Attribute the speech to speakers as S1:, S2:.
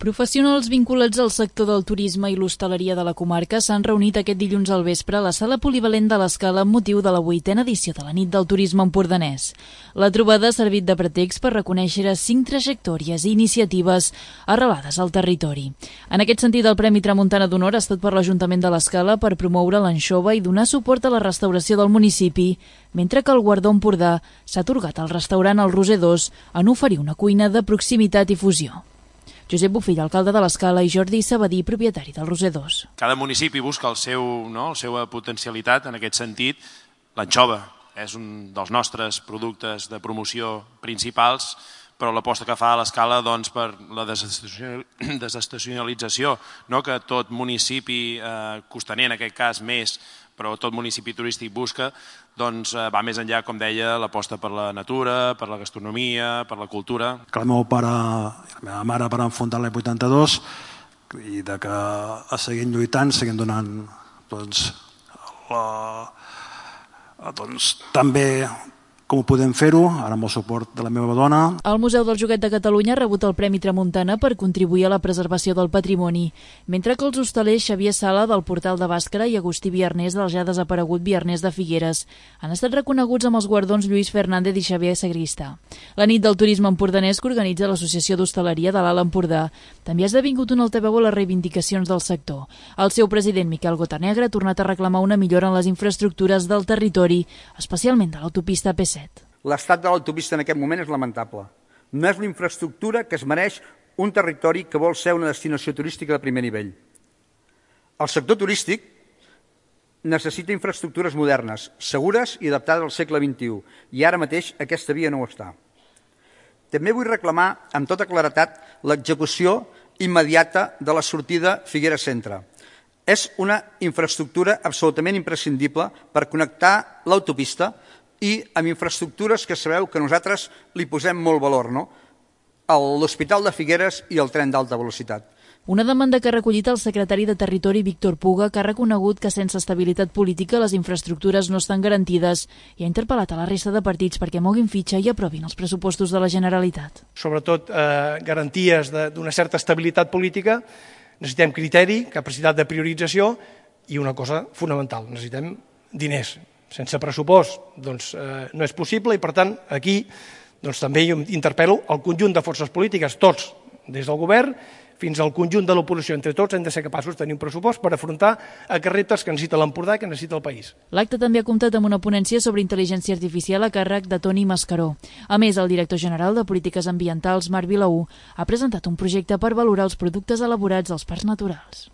S1: Professionals vinculats al sector del turisme i l'hostaleria de la comarca s'han reunit aquest dilluns al vespre a la sala polivalent de l'Escala amb motiu de la 8a edició de la Nit del Turisme empordanès. La trobada ha servit de pretext per reconèixer 5 trajectòries i iniciatives arrelades al territori. En aquest sentit, el Premi Tramuntana d'Honor ha estat per l'Ajuntament de l'Escala per promoure l'anxova i donar suport a la restauració del municipi, mentre que el guardó Empordà s'ha atorgat al restaurant El Roser 2 en oferir una cuina de proximitat i fusió. Josep Bofill, alcalde de l'Escala, i Jordi Sabadí, propietari del Roser 2.
S2: Cada municipi busca la seva potencialitat en aquest sentit. L'anxova és un dels nostres productes de promoció principals, però l'aposta que fa a l'Escala per la desestacionalització, que tot municipi costaner, en aquest cas més, però tot municipi turístic busca, va més enllà, com deia, l'aposta per la natura, per la gastronomia, per la cultura.
S3: Que el meu pare i la meva mare van fundar l'any 82 i que seguim lluitant, seguim donant també com ho podem fer-ho, ara amb el suport de la meva dona.
S1: El Museu del Joguet de Catalunya ha rebut el Premi Tramuntana per contribuir a la preservació del patrimoni, mentre que els hostalers Xavier Sala del Portal de Bàscara i Agustí Biarnés del ja desaparegut Biarnés de Figueres han estat reconeguts amb els guardons Lluís Fernández i Xavier Sagristà. La Nit del Turisme empordanès que organitza l'Associació d'Hostaleria de l'Alt Empordà també ha esdevingut un altaveu a les reivindicacions del sector. El seu president, Miquel Gotanegra, ha tornat a reclamar una millora en les infraestructures del territori, especialment de l'autopista P7.
S4: L'estat de l'autopista en aquest moment és lamentable. No és la infraestructura que es mereix un territori que vol ser una destinació turística de primer nivell. El sector turístic necessita infraestructures modernes, segures i adaptades al segle XXI, i ara mateix aquesta via no ho està. També vull reclamar amb tota claretat l'execució immediata de la sortida Figueres Centre. És una infraestructura absolutament imprescindible per connectar l'autopista i amb infraestructures que sabeu que nosaltres li posem molt valor, l'Hospital de Figueres i el tren d'alta velocitat.
S1: Una demanda que ha recollit el secretari de Territori, Víctor Puga, que ha reconegut que sense estabilitat política les infraestructures no estan garantides i ha interpel·lat a la resta de partits perquè moguin fitxa i aprovin els pressupostos de la Generalitat.
S5: Sobretot garanties d'una certa estabilitat política, necessitem criteri, capacitat de priorització i una cosa fonamental, necessitem diners. Sense pressupost no és possible i, per tant, aquí també interpel·lo el conjunt de forces polítiques, tots, des del govern fins al conjunt de l'oposició. Entre tots hem de ser capaços de tenir un pressupost per afrontar aquests reptes que necessita l'Empordà i que necessita el país.
S1: L'acte també ha comptat amb una ponència sobre intel·ligència artificial a càrrec de Toni Mascaró. A més, el director general de Polítiques Ambientals, Marc Vilaú, ha presentat un projecte per valorar els productes elaborats als parcs naturals.